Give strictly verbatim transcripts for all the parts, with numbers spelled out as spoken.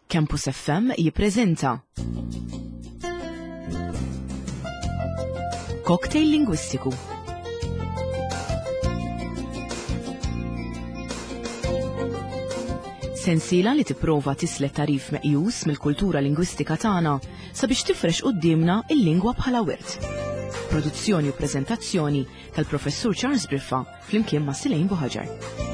Campus F M jippreżenta Cocktail Lingwistiku. Sensiela li tipprova tislet tarif meqjus mill-kultura lingwistika tagħna sabiex tifrex quddiemna il-lingwa bħala wirt. Produzzjoni u preżentazzjoni tal-Professur Charles Briffa flimkien ma' Silejn Buħaġar.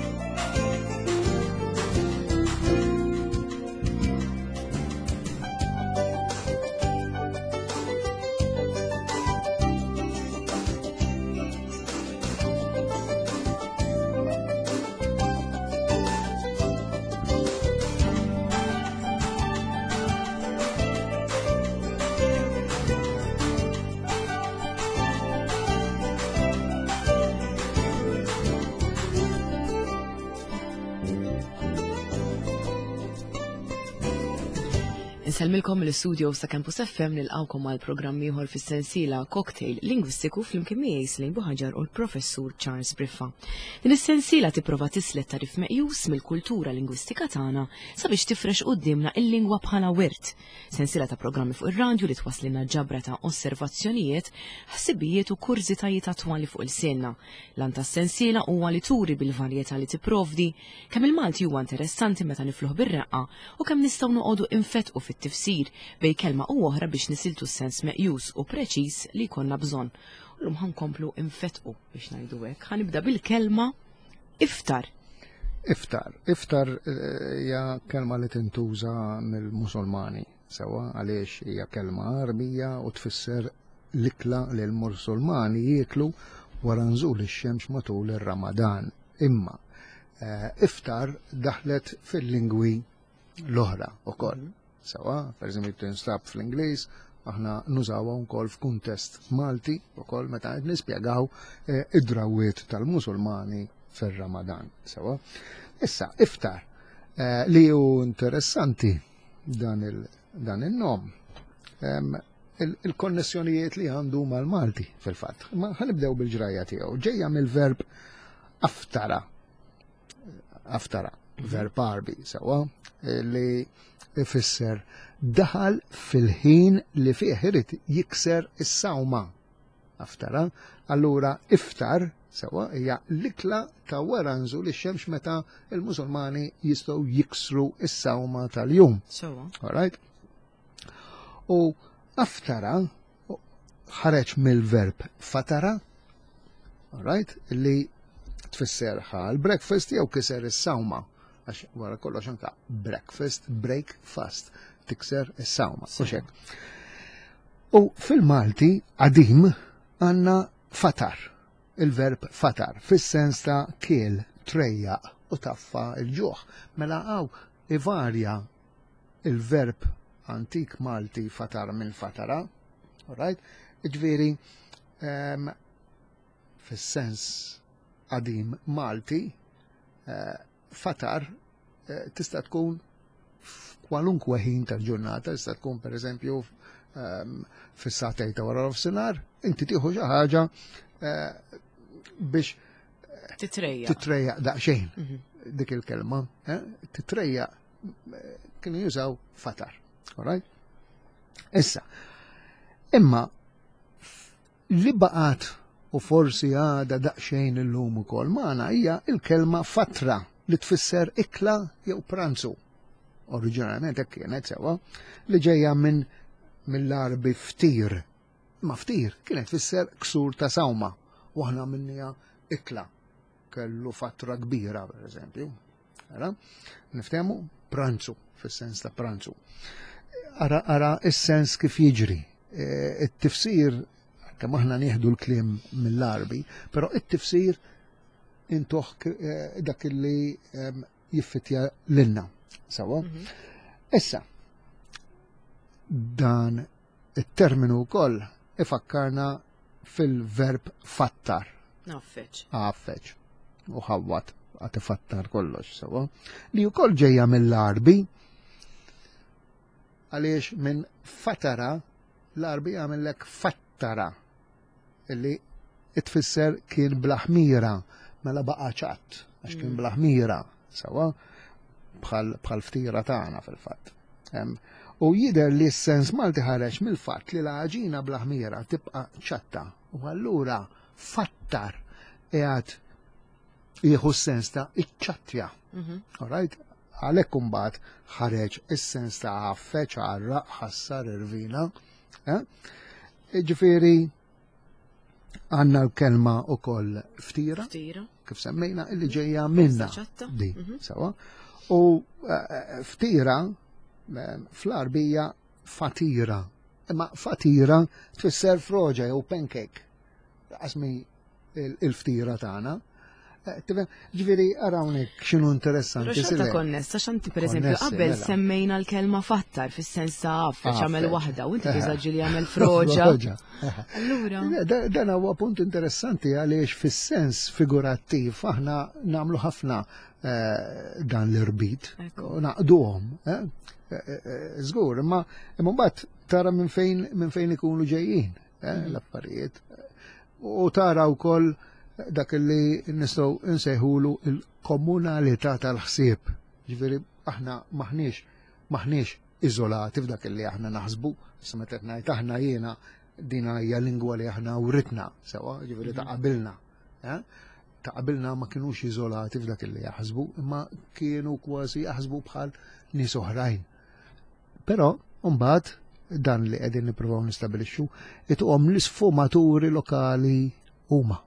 Insellmilkom mill-studio sa' Campus F M nilqawkom għal programm ieħor fis-sensiela Cocktail Lingwistiku flimkien miegħi Silejn Buħaġar u l-Professur Charles Briffa. Din is-sensiela tipprova tislet tarif meqjus mill-kultura lingwistika tagħna sabiex tifrex quddiemna il-lingwa bħala wirt. Sensiela ta' programmi fuq ir-radju li twaslilna ġabra ta' osservazzjonijiet, ħsibijiet u kurżitajiet attwali fuq il-sienna. L-għan tas-sensiela huwa li turi bil-varjetà li tipprovdi kemm il-Malti huwa interessanti meta nifluh bir-reqqa u kemm nistgħu noqogħdu infetqu fit-tifsir bej kelma u oħra biex nisiltu s-sens meqjus u preċiż li jkollna bżonn. Llum ħankomplu infetqu biex ngħidu hekk. Ħanibda bil-kelma iftar. Iftar. Iftar hija kelma li tintuża mill-Musulmani, sewwa għaliex hija kelma Għarbija u tfisser l-ikla li l-Musulmani jieklu wara nżul ix-xemx matul ir-Ramadan. Imma iftar daħlet fil-lingwi l-oħra wkoll. Sewa, per eżempju tinstab fl-Ingliż, aħna nużawha wkoll f'kuntest Malti wkoll meta qed nispjegaw id-drawwiet tal-Musulmani fir-Ramadan. Sewa. Issa iftar li hu interessanti dan il-nom il-konnessjonijiet li għandu mal-Malti fil-fatt. Ma ħanibdew bil-ġrajja tiegħu. Ġejja mill-verb aftara. Aftara, verb Għarbi, sewa, li ifisser daħal fil-ħin li fih irid jikser is-sawma. Aftara, allura iftar sewa hija l-ikla ta' wara nżul ix-xemx meta l-Musulmani jistgħu jiksru is-sawma tal-jum. Sewa. All right? U aftara ħareġ mill-verb fatara, all right, li tfisser ħal breakfast jew kiser is-sawma. Għax wara kollox anka breakfast, break fast, tikser is-sawma, u xek. U fil-Malti qadim għandna fatar, il-verb fatar, fis-sens ta' kiel, trejjaq u taffa il-ġuħ. Mela hawn ivarja il-verb antik Malti fatar minn fatara, all right? Ġifieri, um, fis-sens qadim Malti, uh, fatar eh, tista' tkun f'kwalunkwe ħin tal-ġurnata, tista' tkun pereżempju um, fis-sagħtejn ta' wara nofsinhar, inti tieħu xi ħaġa eh, biex titrejjaq titrejjaq daqsxejn dik il-kelma, eh? Titrejjaq kienu jużaw fatar. All right? Issa, imma li baqgħet u forsi għadha daqsxejn illum ukoll magħna hija l-kelma fatra li tfisser ikla jew pranzu. Oriġinarjament hekk kienet sewwa, li ġejja minn mill-Għarbi ftir. Ma ftir kienet tfisser ksur ta' sawma u aħna minnija ikla. Kellu fatra kbira pereżempju. Ara, niftehmu pranzu fis-sens ta' pranzu. Ara, ara is-sens kif jiġri. It-tifsir, kemm aħna nieħdu l-kliem mill-Għarbi, però it-tifsir intuħ dak li jiffitja lilna. Sawa? Issa, dan it-terminu wkoll ifakkarna fil-verb fattar. Għaffeċ. Għaffeċ. U ħawwat, għad ifattar kollox, sawa? Li wkoll ġejja mill-Għarbi, għaliex minn fatara l-Għarbi għamillek fattara, illi tfisser kien bla ħmira, mela baqa' ċatt, għax kien bla ħmira, sawa, bħal ftira tagħna fil-fatt. U jidher li s-sens Malti ħareġ mill-fatt li l-għaġina bla ħmira tibqa' ċatta u allura fattar qiegħed jieħu s-sens ta' iċċattja. Mhm. All right? Għalhekk imbagħad ħareġ is-sens ta' għaffeġ, għarraq, ħassar, irvina. Eh? Ġifieri għandna l-kelma ukoll ftira, Ftira. kif semmejna, illi ġejja minna. ċatta. Di, Mhm. sewa. U eh, ftira eh, fl-Arbija fatira. Imma fatira tfisser froġa jew pancake. Qasmi il-ftira tagħna. Eh, tifhem? Ġifieri arawnek x'inhu Pero interessanti. xorta Sile. konnessa, xanti per eżempju, Konnessi, qabel mela. semmejna l-kelma fattar fis-sens ta' għaffeġ għamel Għaffeġ. waħda u inti Eh. tużaġi li għamel froġa. Froġa. Allura, Da- Dan huwa punt interessanti għaliex fis-sens figurattiv aħna nagħmlu ħafna eh, dan l-irbit Ekku. u naqduhom. eh? Eh, eh, Żgur, imma imma mbagħad tara minn fejn minn fejn ikunu ġejjin eh, l-affarijiet. U tara wkoll dak li nistgħu nsejħulu il-komunalità tal-ħsieb. Ġifieri aħna maħniex maħniex iżolati f'dak li aħna naħsbu, issa meta qed ngħid aħna jiena din hija lingwa li aħna writna sewa, ġifieri ta' qabilna. eh? Ta' qabilna ma kinux iżolati f'dak li jaħsbu, imma kienu kważi jaħsbu bħal nies oħrajn. Però mbagħad dan li qegħdin nippruvaw nistabilixxu ituhom l-isfumaturi lokali huma.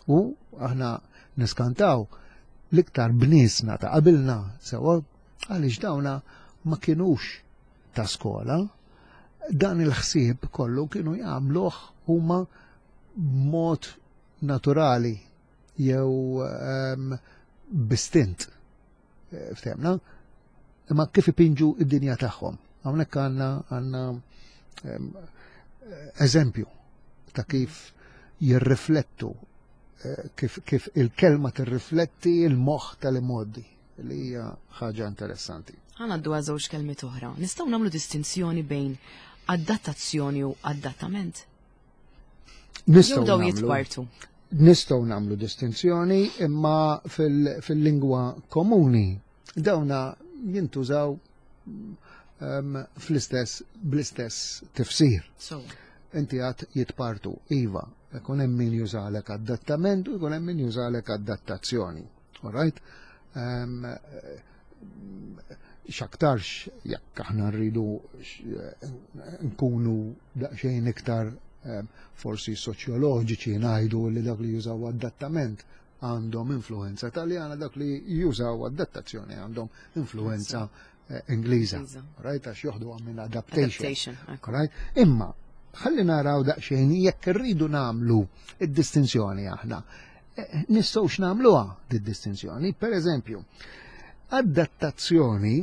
U aħna niskantaw l-iktar bniesna ta' qabilna sewa għaliex dawna ma kinux ta' skola, dan il-ħsieb kollu kienu jagħmluh huma b'mod naturali jew um, b'istint. Eh, Ftehmna? Imma kif ipinġu id-dinja tagħhom. Hawnhekk għandna għandna em, eżempju ta' kif jirriflettu eh, kif, kif il-kelma tirrifletti il-moħħ tal-imgħoddi li hija ħaġa interessanti. Ħa ngħaddu għal żewġ kelmiet oħra. Nistgħu nagħmlu distinzjoni bejn adattazzjoni u adattament? Nistgħu Jew daw nagħmlu- jitpartu. Nistgħu nagħmlu distinzjoni imma fil- fil-lingwa komuni dawna jintużaw um, fl-istess bl-istess tifsir. So, Inti għad jitpartu, iva, ikun hemm min jużalek adattament u jkun hemm min jużalek adattazzjoni. All right? Um, x'aktarx jekk aħna rridu x- nkunu daqsxejn iktar em, forsi soċjoloġiċi ngħidu li dak li jużaw adattament għandhom influenza taljana, dak li jużaw adattazzjoni għandhom influenza eh, Ingliża. Ingliża. Right? Għax joħdu minn adaptation. adaptation. Ekku. Right? Imma, ħalli naraw daqsxejn jekk irridu nagħmlu id-distinzjoni aħna. Eh, Nistgħux nagħmluha di-distinzjoni. Per eżempju, adattazzjoni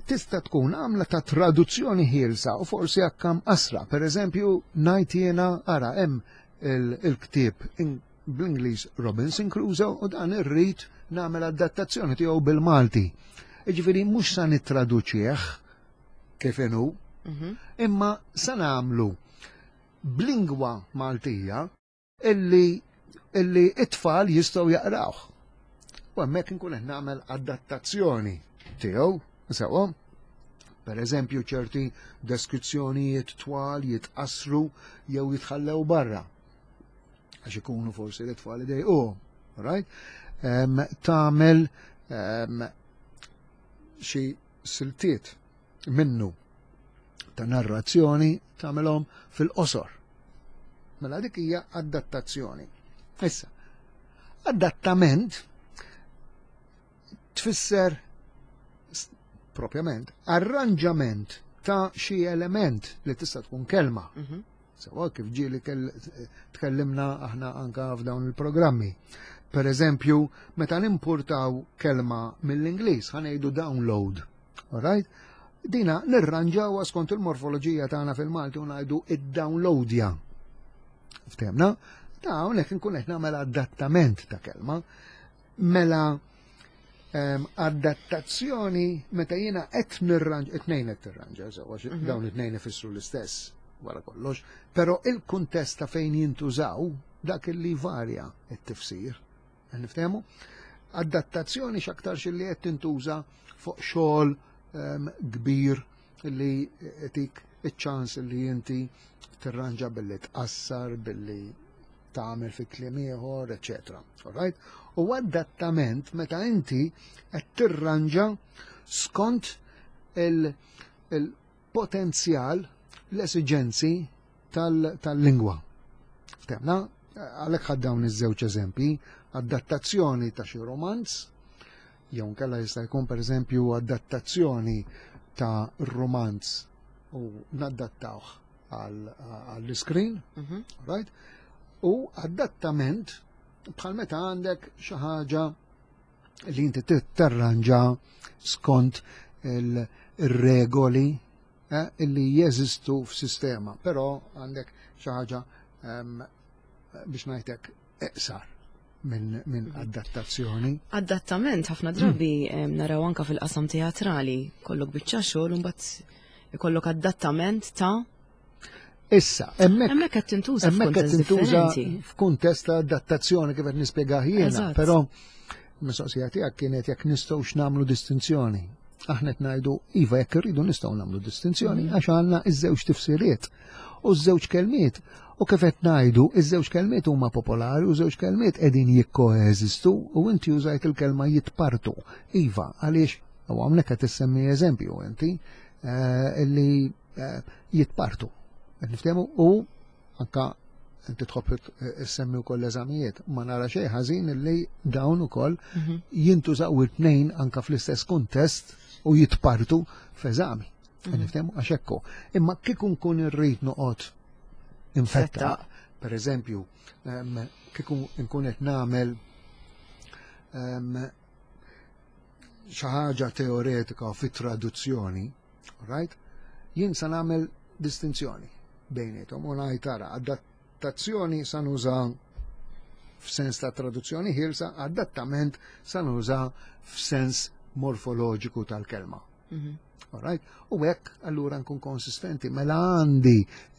tista' tkun għamla ta' traduzzjoni ħielsa u forsi akkam asra. Per eżempju, ngħid jiena ara hemm il- il-ktieb in- bl-Ingliż Robinson Crusoe u dan irrid nagħmel adattazzjoni tiegħu bil-Malti. Jiġifieri mhux sa nittraduċih kif inhu, Mhm. imma sa nagħmlu b'lingwa Maltija illi illi it-tfal jistgħu jaqrawh. U hemmhekk inkun qed nagħmel adattazzjoni tiegħu, sewwa. Per eżempju, ċerti deskrizzjonijiet twal jitqasru jew jitħallew barra. Għax ikunu forsi l-tfal idejquhom, right? Um, tagħmel um, xi siltiet minnu ta' narrazzjoni tagħmelhom fil-qosor. Mela dik hija adattazzjoni. Issa, adattament tfisser s- propjament arranġament ta' xi element li tista' tkun kelma. Mhm. Sewa kif ġieli kell- tkellimna aħna anka f'dawn il-programmi. Per eżempju, meta nimportaw kelma mill-Ingliż, ħa ngħidu download. Alright? Dina nirranġawha skont il-morfoloġija tagħna fil-Malti u ngħidu id-downloadja. Ftehmna? Ta' hawnhekk inkun qed nagħmel adattament ta' kelma. Mela em, adattazzjoni meta jiena qed nirranġa, it-tnejn qed tirranġa, sewa, mm Mhm. dawn it-tnejn ifissru l-istess wara kollox, però il-kuntest ta' fejn jintużaw dak li varja it-tifsir. Niftehmu? Adattazzjoni x'aktarx li qed tintuża fuq xogħol em, kbir li tik iċ-ċans li inti tirranġa billi tqassar, billi tagħmel fi kliem ieħor, eċetera. Alright? U adattament meta inti qed tirranġa skont il-potenzjal, l-esiġenzi tal-lingwa. Ftemna, għalhekk ħadt dawn iż-żewġ eżempji, adattazzjoni ta' xi romanz, jew nkella jista' jkun pereżempju adattazzjoni ta' romanz u nadattawh għall-screen, mhm. right? U adattament bħal meta għandek xi ħaġa li inti tirranġa skont il-regoli eh, illi jeżistu f'sistema, però għandek xi ħaġa biex ngħidlek iqsar minn min mhm. adattazzjoni. Adattament ħafna drabi mm. naraw anka fil-qasam teatrali, kollok biċċa xogħol u mbagħad ikollok adattament ta' Issa, hemmhekk hemmhekk qed tintuża qed tintuża f'kuntest ta' adattazzjoni kif qed nispjegah jiena, però mistoqsija tiegħek kienet jekk nistgħux nagħmlu distinzjoni. Aħna qed ngħidu iva, jekk irridu nistgħu nagħmlu distinzjoni mm. għax għandna iż-żewġ tifsiriet u ż-żewġ kelmiet. U kif qed ngħidu, iż-żewġ kelmiet huma popolari u żewġ kelmiet qegħdin jikkoeżistu u inti użajt il-kelma jitpartu. Iva, għaliex u hawnhekk qed issemmi eżempju inti eh, illi eh, jitpartu. Niftehmu u anka inti tħobb issemmi wkoll eżamijiet, ma nara xejn ħażin illi dawn ukoll mhm. jintużaw it-tnejn anka fl-istess kuntest u jitpartu f'eżami. Mhm. Niftehmu għax hekk. Imma kieku nkun irrid noqgħod infetta, per eżempju, kieku nkun qed nagħmel xi ħaġa teoretika fit-traduzzjoni, right? Jien sa nagħmel distinzjoni bejnietom u ngħid tara adattazzjoni sa nuża f'sens ta' traduzzjoni ħielsa, adattament sa nuża f'sens morfoloġiku tal-kelma. Mhm. Alright? U hekk allura nkun konsistenti, mela għandi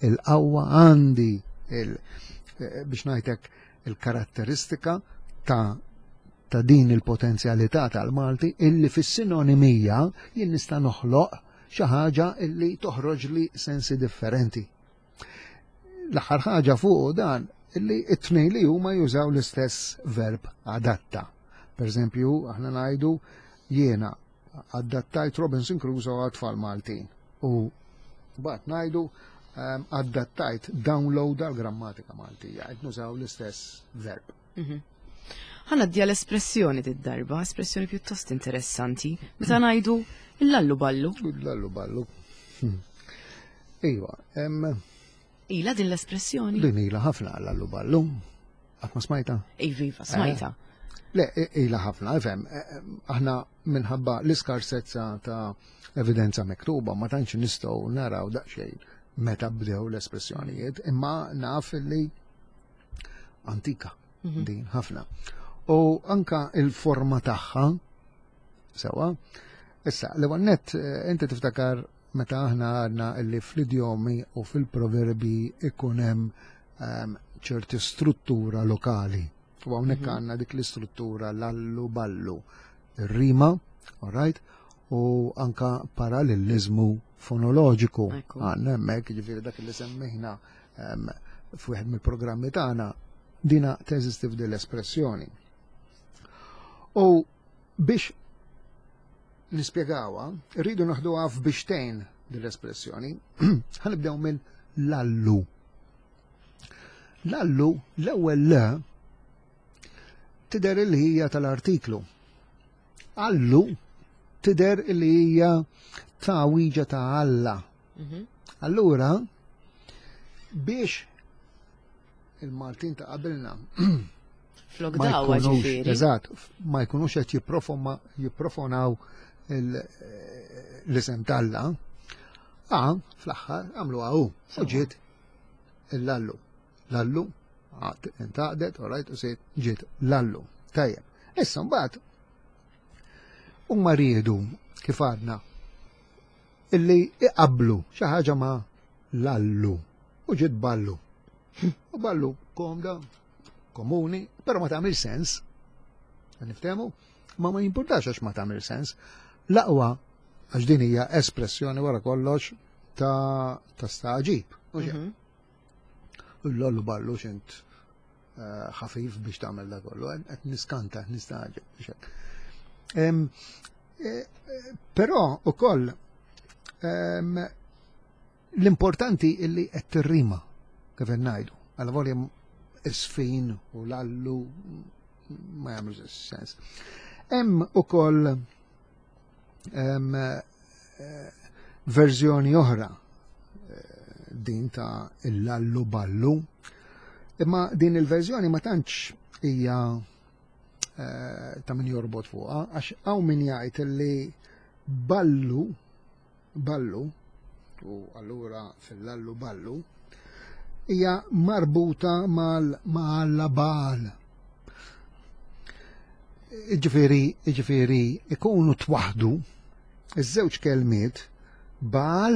il-qawwa, għandi il eh, biex ngħidlek il-karatteristika ta' ta' din il-potenzjalità tal-Malti illi fis-sinonimija jien nista' noħloq xi ħaġa illi toħroġ li sensi differenti. L-aħħar ħaġa fuq dan illi it-tnejn li huma jużaw l-istess verb adatta. Per eżempju, aħna ngħidu jiena adattajt Robinson Crusoe għat-tfal Maltin. U mbagħad ngħidu um, adattajt download għal grammatika Maltija, qed nużaw l-istess verb. Mhm. Ħa ngħaddi l-espressjoni d-darba, espressjoni pjuttost interessanti, meta ngħidu l-lallu ballu. L-lallu ballu. Hmm. Iva, em, Ila din l-espressjoni? Din ila ħafna l-lallu ballu. Qatt ma smajta? Iva, iva, smajta. Le, ila ħafna, ifhem, aħna minħabba l-iskarsezza ta' evidenza miktuba ma tantx nistgħu naraw daqsxejn meta bdew l-espressjonijiet, imma naf li antika Mhm. din ħafna. U anka il-forma tagħha sewa. Issa, l nett inti tiftakar meta aħna għadna illi fl-idjomi u fil-proverbi ikun hemm ehm, ċerti struttura lokali. U hawnhekk Mhm. għandna dik l-istruttura lallu ballu, ir-rima, all right, u anka parallelizmu fonoloġiku. Ekku. Għandna hemmhekk, ġifieri dak li semmejna ehm, f'wieħed mill-programmi tagħna dina teżisti f'din l-espressjoni. U biex nispjegawha, rridu naħduha f'biċċtejn din l-espressjoni. Ħa nibdew minn lallu. Lallu, l-ewwel l tidher li hija tal-artiklu. Allu tidher li hija tagħwiġa ta' Alla. Mhm. Allura, biex il-Maltin ta' qabilna Flok ma dawa jkunux, ġifieri. eżatt, ma jkunux qed jipprofoma- jipprofonaw il- l-isem t'Alla, a fl-aħħar għamlu għaw, u ġiet il-lallu. Lallu, għad intaqdet, all right, u siet ġiet lallu. Tajjeb. Issa mbagħad huma riedu kif għadna illi iqablu xi ħaġa ma' lallu u ġiet ballu. U ballu komda, komuni, però ma tagħmel sens. Niftehmu? Ma ma jimpurtax għax ma tagħmel sens. L-aqwa Għax din hija espressjoni wara kollox ta' ta' stagħġib. Mhm. L-allu ballu x'int eh, ħafif biex tagħmel da kollu, qed niskanta, nistagħġeb. Eh, eh, però ukoll l-importanti illi qed tirrima kif ngħidu. Għal volja isfin u l-allu ma jagħmlu sens. Hemm ukoll verżjoni oħra din ta' l-allu ballu, imma din il-verżjoni ma tantx hija eh, ta' min jorbot fuqha, għax hawn min jgħid li ballu ballu u allura fil-allu ballu hija marbuta mal bal. Ġifieri, ġifieri ikunu twaħdu iż-żewġ kelmiet bal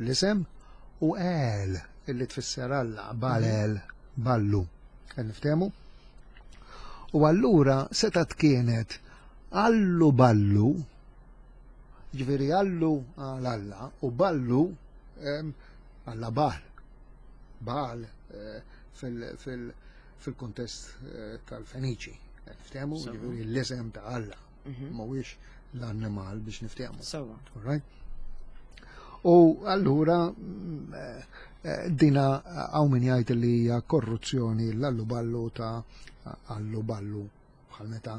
l-isem u el illi tfisser Alla, bal el, ballu. Niftehmu? U allura setat kienet allu ballu, ġifieri allu għal Alla u ballu alla bal. Bal eh, fil-kontest eh, tal-Feniċi. Niftehmu? Ġifieri l-isem ta' Alla. Mhm. Mhuwiex l-annimal biex niftehmu. U allura mm, eh, dina hawn min jgħid li hija korruzzjoni l-allu ballu ta' allu ballu bħal meta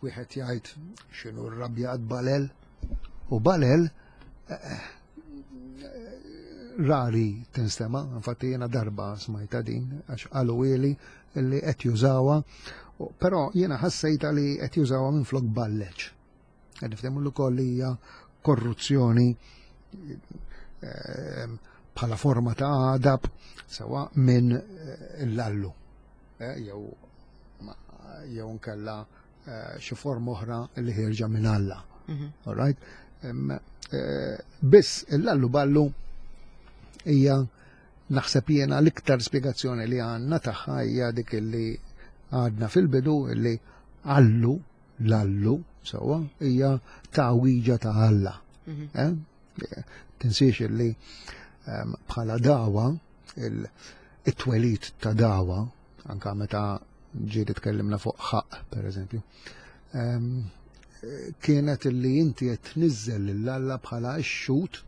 wieħed jgħid x'inhu rrabjat balel u balel eh, rari tinstema, infatti jiena darba smajta din għax qalu ili li qed jużawha, però jiena ħassejta li qed jużawha minflok balleċ. Qed niftehmu l ukoll hija korruzzjoni ehm, bħala forma ta' għadab sewa minn eh, l-allu eh, jew jew nkella eh, xi forma oħra li ħierġa minn Alla. Mhm. All right? Biss l-allu ballu hija naħseb jiena l-iktar spjegazzjoni li għandna tagħha hija dik li għadna fil-bidu li allu l-allu sewwa hija ta'wiġa ta' Alla. Mhm. Eh? Tinsiex li ehm, bħala dawa it-twelid ta' dawa anka meta ġieli tkellimna fuq ħaq per eżempju, ehm, kienet li inti qed tniżżel lil Alla bħala x-xut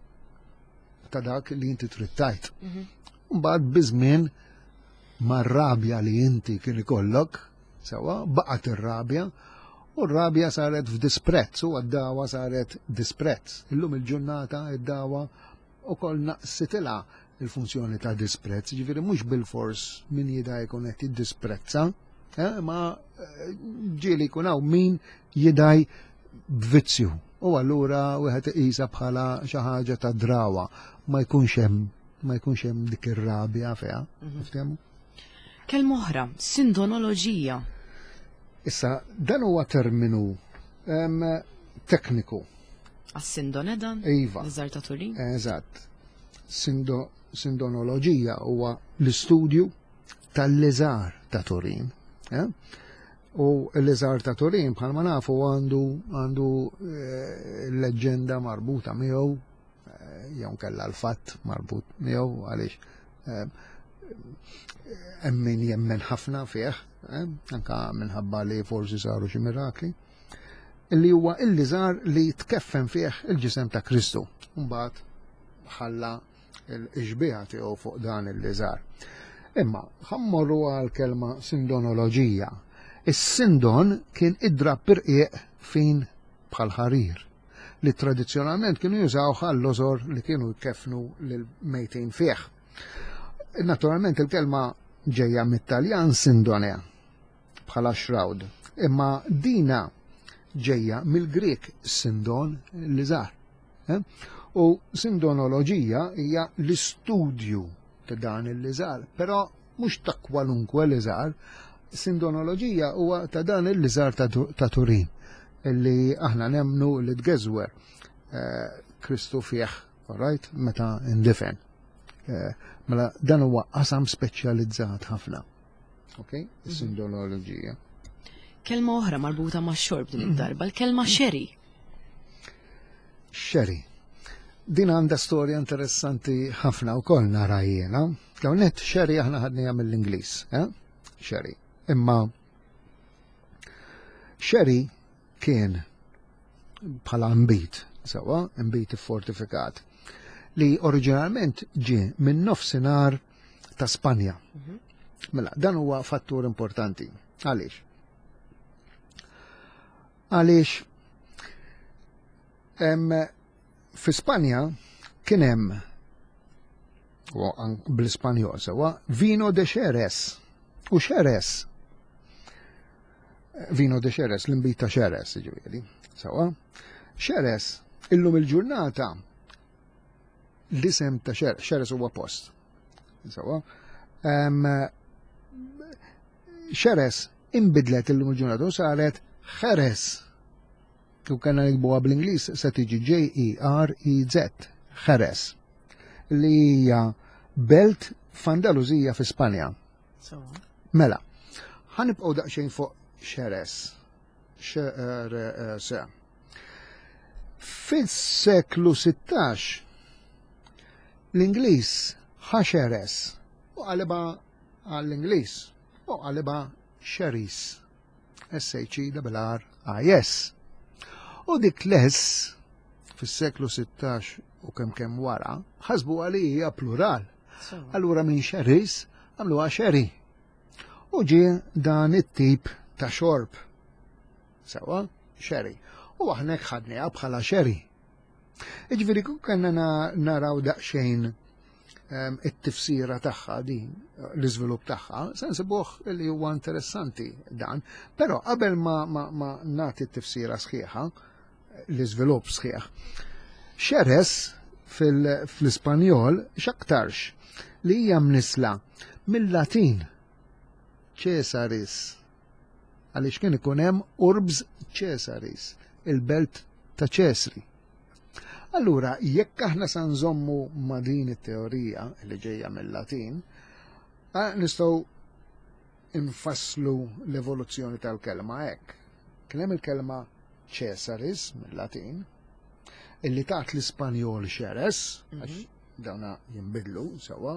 ta' dak li inti trid tajt. Mhm. Mbagħad biż-żmien mar-rabja li inti kien ikollok, sewa baqgħet ir-rabja, u r-rabja saret f'disprezz, u għad-dawa saret disprezz. Illum il-ġurnata id-dawa ukoll naqsitilha il-funzjoni ta' disprezz, ġifieri mhux bil-fors min jida jkun qed jiddisprezza, eh, ma eh, ġieli jkun hawn min jidaj b'vizzju. U allura wieħed iqisha bħala xi ħaġa ta' drawa, ma jkunx hemm ma jkunx hemm dik ir-rabja fiha. Mhm. Niftehmu? Kelma oħra, sindonoloġija. Issa, dan huwa terminu em, tekniku. Għas-sindone dan? Iva. L-iżgħar ta' Turin? Eżatt. Sindo, sindonoloġija huwa l-istudju tal-liżar ta' Turin. Eh? U l-liżar ta' Turin bħalma nafu għandu għandu eh, leġġenda marbuta miegħu eh, jew nkella l-fatt marbut miegħu għaliex eh, hemm min jemmen ħafna fih, eh, anka minħabba li forsi saru xi mirakli, li huwa il-liżar li tkeffen fih il-ġisem ta' Kristu. Mbagħad ħalla l-xbieha tiegħu fuq dan il-liżar. Imma ħammorru għal kelma sindonoloġija. Is-sindon kien id-drapp irqiq fin bħal ħarir li tradizzjonalment kienu jużaw għall-lożor li kienu jkefnu lil mejtin fih. Naturalment il-kelma ġejja mit-Taljan sindone bħala shroud, imma dina ġejja mill-Grek sindon liżar. Eh? U sindonoloġija hija l-istudju ta' dan il-liżar, però mhux ta' kwalunkwe liżar, sindonoloġija huwa ta' dan il-liżar ta' ta' Turin, illi aħna nemnu li tgeżwer eh, Kristu fih, all right, meta indifen. Eh, Mela dan huwa qasam speċjalizzat ħafna. Ok? Is-sindonoloġija. Kelma oħra marbuta ma' xorb din id-darba, l-kelma sherry. Sherry. Din għandha storja interessanti ħafna wkoll nara jiena. L-ewwel sherry aħna ħadniha mill-Ingliż, eh? Sherry. Imma sherry kien bħala nbid, sewwa, nbid fortifikat, li oriġinalment ġie minn nofsinhar ta' Spanja. Mhm. Mela, dan huwa fattur importanti. Għaliex? Għaliex fi Spanja kien hemm bl-Ispanjol sewwa vino de Xeres u Xeres vino de Xeres, l-inbid ta' Xeres, ġifieri, sewwa. Xeres, illum il-ġurnata l-isem ta' Xeres, Xeres huwa post. Sewwa. Xeres imbidlet illum il-ġurnata u saret Jerez. Kif kellna niktbuha bl-Ingliż se tiġi J E R E Z, Jerez. Li hija belt f'Andaluzija fi Spanja. Mela, ħa nibqgħu daqsxejn fuq Xeres. Xeres. Fis-seklu sittax l-Ingliż ħa Xeres u qalibha għall-Ingliż u qalibha Sherries. S H E R R I S. U dik l-S fis-seklu sittax u kemm kemm wara ħasbu li hija plural. Allura minn Sherries għamluha sherry. U ġie dan it-tip ta' xorb. Sewwa, sherry. U aħna ħadniha bħala sherry. Iġifieri kun kellna naraw daqsxejn ehm, it-tifsira tagħha din, l-iżvilupp tagħha, se nsibuh li huwa interessanti dan, però qabel ma, ma, ma nagħti t-tifsira sħiħa, l-iżvilupp sħiħ. Xeres fil-Ispanjol x'aktarx li hija mnisla mill-Latin Caesaris, għaliex kien ikun hemm urbs Caesaris, il-belt ta' Ċesri. Allura, jekk aħna sa nżommu ma' din it-teorija li ġejja mill-Latin, nistgħu infasslu l-evoluzzjoni tal-kelma hekk. Kien hemm il-kelma Caesaris mill-Latin, illi tat l-Ispanjol Xeres, għax mhm. dawna jinbidlu sewwa.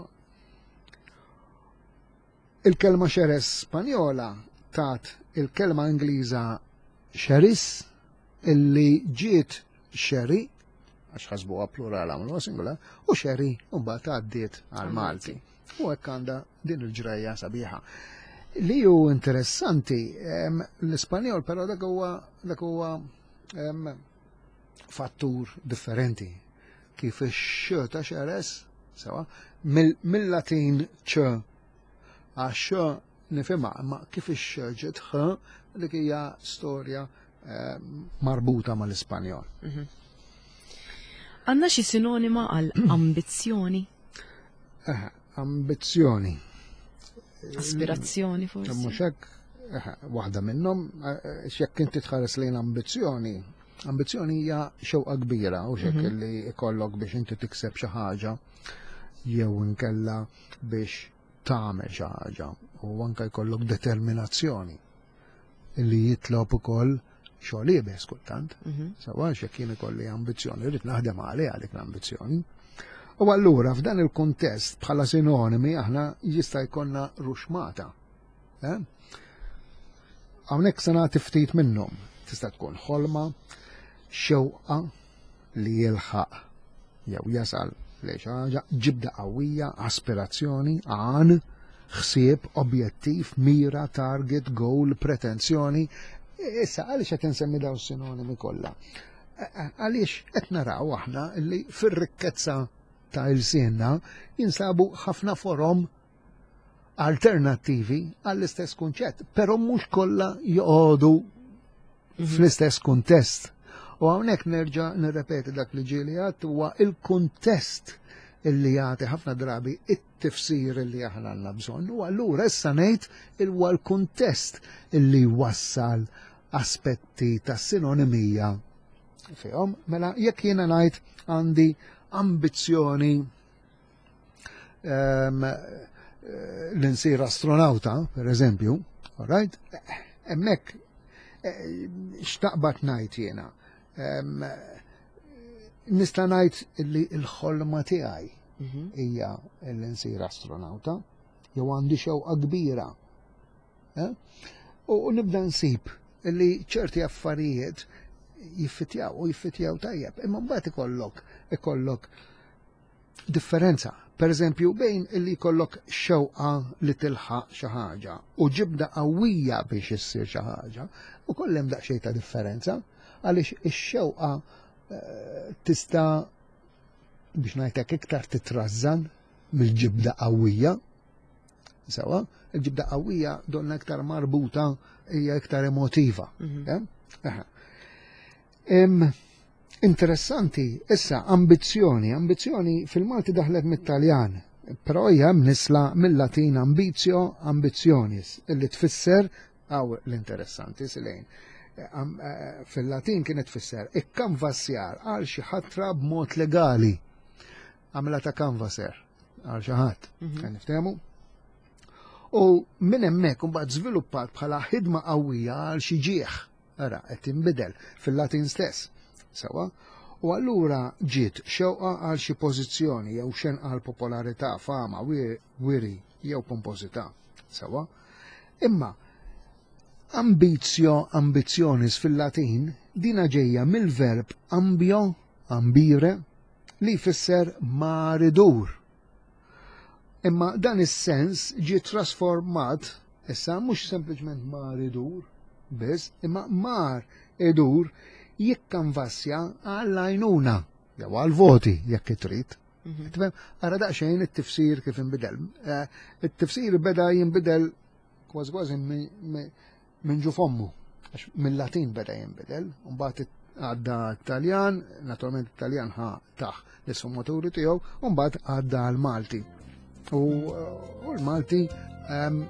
Il-kelma Xeres Spanjola tat il-kelma Ingliża Sherris, illi ġiet sherry, għax ħasbuha plural għamlu singular, u sherry mbagħad għaddiet għal Malti. U hekk għandha din il-ġrajja sabiħa. Li hu interessanti, l-Ispanjol però dak huwa dak huwa fattur differenti. Kif ix-x ta' Xeres, sewwa, mill-Latin ċ, għax nifhimha, ma kif ix ġiet ħ, dik hija storja eh, marbuta mal-Ispanjol. Mhm. Għandna xi sinonima għal ambizzjoni? Eh, ambizzjoni. Aspirazzjoni forsi. Mhux hekk, eh, waħda minnhom, jekk inti tħares lejn ambizzjoni, ambizzjoni hija xewqa kbira u xek mhm. li ikollok biex inti tikseb xi ħaġa jew inkella biex tagħmel xi ħaġa u anke jkollok determinazzjoni li jitlob ukoll xogħol iebes kultant. Mhm. Sewwa, jekk jien ikolli ambizzjoni, rrid naħdem għalih għalik l-ambizzjoni. U allura f'dan il-kuntest bħala sinonimi aħna jista' jkollna ruxmata. Eh? Hawnhekk se nagħti ftit minnhom. Tista' tkun ħolma, xewqa li jilħaq jew jasal li xi ħaġa, ġibda qawwija, aspirazzjoni, għan, ħsieb, objettiv, mira, target, goal, pretenzjoni. Issa, għaliex qed insemmi daw sinonimi kollha? Għaliex qed naraw aħna li fir-rikkezza ta' ilsienna jinsabu ħafna forom alternattivi għall-istess kunċett, però mhux kollha joqogħdu fl-istess kuntest. U hawnhekk nerġa' nirrepeti dak li ġieli għedt, huwa il-kuntest illi jagħti ħafna drabi it-tifsir illi aħna għandna bżonn. U allura issa ngħid huwa l-kuntest illi wassal aspetti ta' sinonimija fihom. Mela jekk jiena ngħid għandi ambizzjoni um, li nsir astronauta, per eżempju, all right? Hemmhekk x'taqbad ngħid jiena? Nista' ngħid li l-ħolma tiegħi hija li nsir astronauta, jew għandi xewqa kbira. Eh? U nibda nsib li ċerti affarijiet jiffitjaw u jiffitjaw tajjeb, imma mbagħad ikollok ikollok differenza. Per eżempju, bejn illi jkollok xewqa li tilħaq xi ħaġa u ġibda qawwija biex issir xi ħaġa, u kollem daqsxejn ta' differenza, għaliex ix-xewqa eh, tista' biex ngħidlek iktar titrażżan mill-ġibda qawwija. Sewa, il-ġibda qawwija donna iktar marbuta, hija iktar emotiva. Mhm. Eh? Interessanti, issa, ambizzjoni, ambizzjoni fil-Malti daħlet mit-Taljan, però hija mnisla mill-Latin ambitio, ambitionis, illi tfisser, għaw l-interessanti, silejn, eh, fil-Latin kienet tfisser ikkanvassjar għal xi ħatra b'mod legali. Għamla ta' canvasser għal xi ħadd. Mhm. Niftehmu? U minn hemmhekk imbagħad żviluppat bħala ħidma qawwija għal xi ġieħ. Ara, qed tinbidel fil-Latin stess. Sewa? U allura ġiet xewqa għal xi pożizzjoni jew xenqa għal popolarità, fama, wiri jew pompożità. Sewa? Imma ambitio, ambitionis fil-Latin dina ġejja mill-verb ambio, ambire, li jfisser mar idur. Imma dan is-sens ġie trasformat issa mhux sempliċement mar idur biss, imma mar idur jikkanvassja għall-għajnuna jew għall-voti jekk trid. Mhm. Ara daqsxejn it-tifsir kif inbidel. Eh, it-tifsir beda jinbidel kważi kważi minn ġo fommu. Għax mill-Latin beda jinbidel, mbagħad għadda Taljan, naturalment Taljan ħa taħ l-isfumaturi tiegħu, u mbagħad għadda għal-Malti. U l-Malti ehm,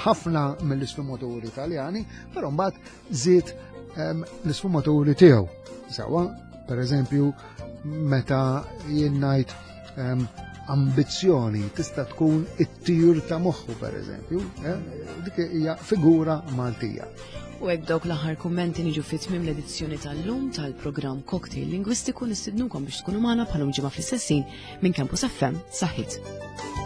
ħafna mill-isfumaturi Taljani, però mbagħad żied ehm, l-isfumaturi tiegħu. Sawa, per eżempju, meta jien ngħid ehm, ambizzjoni tista' tkun it-tir ta' moħħu per eżempju, eh, dik hija figura Maltija. U hekk dawk l-aħħar kummenti niġu fi tmiem l-edizzjoni tal-lum tal-programm Cocktail Lingwistiku. Nistidnukom biex tkunu magħna bħalum ġimgħa fl-istess ħin minn Campus F M. Saħħit.